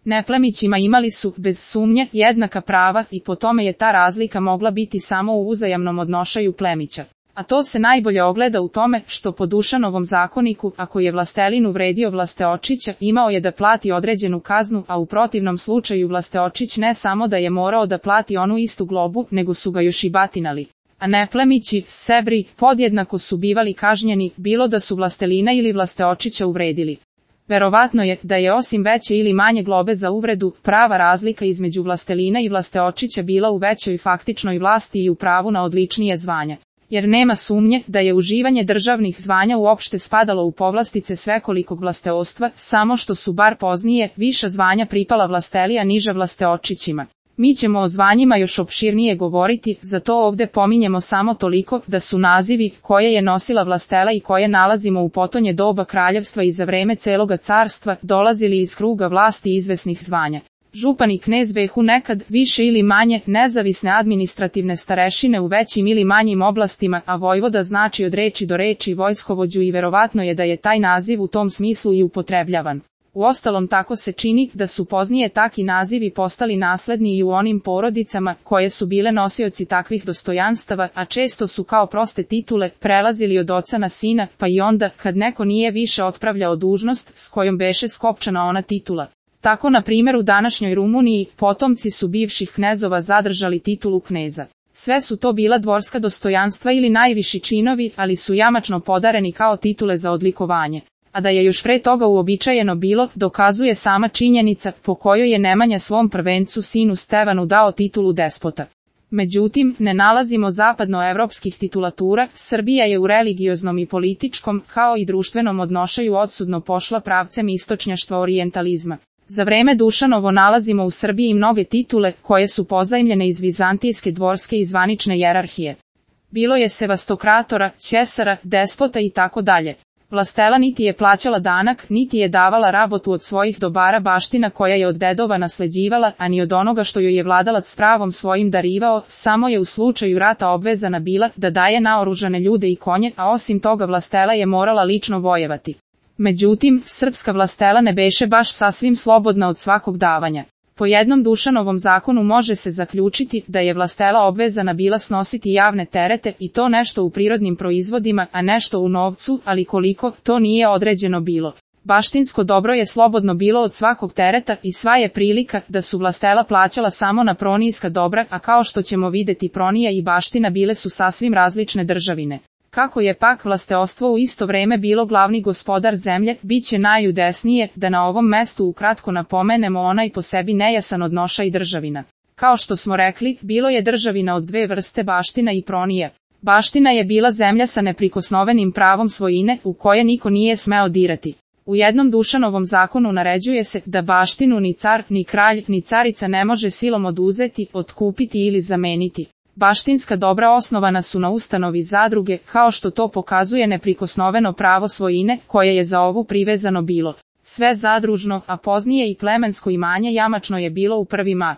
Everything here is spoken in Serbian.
Neplemićima imali su, bez sumnje, jednaka prava i po tome je ta razlika mogla biti samo u uzajamnom odnošaju plemića. A to se najbolje ogleda u tome što po Dušanovom zakoniku, ako je vlastelin uvredio vlasteočića, imao je da plati određenu kaznu, a u protivnom slučaju vlasteočić ne samo da je morao da plati onu istu globu, nego su ga još i batinali. A neplemići, sebri, podjednako su bivali kažnjeni, bilo da su vlastelina ili vlasteočića uvredili. Verovatno je da je osim veće ili manje globe za uvredu, prava razlika između vlastelina i vlasteočića bila u većoj faktičnoj vlasti i u pravu na odličnije zvanja. Jer nema sumnje da je uživanje državnih zvanja uopšte spadalo u povlastice svekolikog vlasteostva, samo što su bar poznije, viša zvanja pripala vlasteli, a niža vlasteočićima. Mi ćemo o zvanjima još opširnije govoriti, zato ovde pominjemo samo toliko da su nazivi koje je nosila vlastela i koje nalazimo u potonje doba kraljevstva i za vreme celoga carstva dolazili iz kruga vlasti izvesnih zvanja. Župan i knez behu nekad, više ili manje, nezavisne administrativne starešine u većim ili manjim oblastima, a vojvoda znači od reči do reči vojskovođu i verovatno je da je taj naziv u tom smislu i upotrebljavan. Uostalom tako se čini da su poznije taki nazivi postali nasledni i u onim porodicama koje su bile nosioci takvih dostojanstava, a često su kao proste titule prelazili od oca na sina, pa i onda kad neko nije više otpravljao dužnost s kojom beše skopčana ona titula. Tako na primjer u današnjoj Rumuniji potomci su bivših knezova zadržali titulu kneza. Sve su to bila dvorska dostojanstva ili najviši činovi, ali su jamačno podareni kao titule za odlikovanje. A da je još pre toga uobičajeno bilo, dokazuje sama činjenica po kojoj je Nemanja svom prvencu sinu Stevanu dao titulu despota. Međutim, ne nalazimo zapadnoevropskih titulatura, Srbija je u religioznom i političkom, kao i društvenom odnošaju odsudno pošla pravcem istočnjaštva orijentalizma. Za vreme Dušanovo nalazimo u Srbiji mnoge titule koje su pozajmljene iz vizantijske dvorske i zvanične jerarhije. Bilo je sevastokratora, ćesara, despota i tako dalje. Vlastela niti je plaćala danak, niti je davala rabotu od svojih dobara baština koja je od dedova nasleđivala, a ni od onoga što joj je vladalac s pravom svojim darivao, samo je u slučaju rata obvezana bila da daje naoružane ljude i konje, a osim toga vlastela je morala lično vojevati. Međutim, srpska vlastela ne beše baš sasvim slobodna od svakog davanja. Po jednom Dušanovom zakonu može se zaključiti da je vlastela obvezana bila snositi javne terete i to nešto u prirodnim proizvodima, a nešto u novcu, ali koliko, to nije određeno bilo. Baštinsko dobro je slobodno bilo od svakog tereta i sva je prilika da su vlastela plaćala samo na pronijska dobra, a kao što ćemo videti pronija i baština bile su sasvim različne državine. Kako je pak vlasteostvo u isto vreme bilo glavni gospodar zemlje, bit će najudesnije da na ovom mestu ukratko napomenemo onaj po sebi nejasan odnošaj državina. Kao što smo rekli, bilo je državina od dve vrste, baština i pronija. Baština je bila zemlja sa neprikosnovenim pravom svojine, u koje niko nije smeo dirati. U jednom Dušanovom zakonu naređuje se da baštinu ni car, ni kralj, ni carica ne može silom oduzeti, otkupiti ili zameniti. Baštinska dobra osnovana su na ustanovi zadruge, kao što to pokazuje neprikosnoveno pravo svojine, koje je za ovu privezano bilo. Sve zadružno, a poznije i plemensko imanje jamačno je bilo u prvi mah.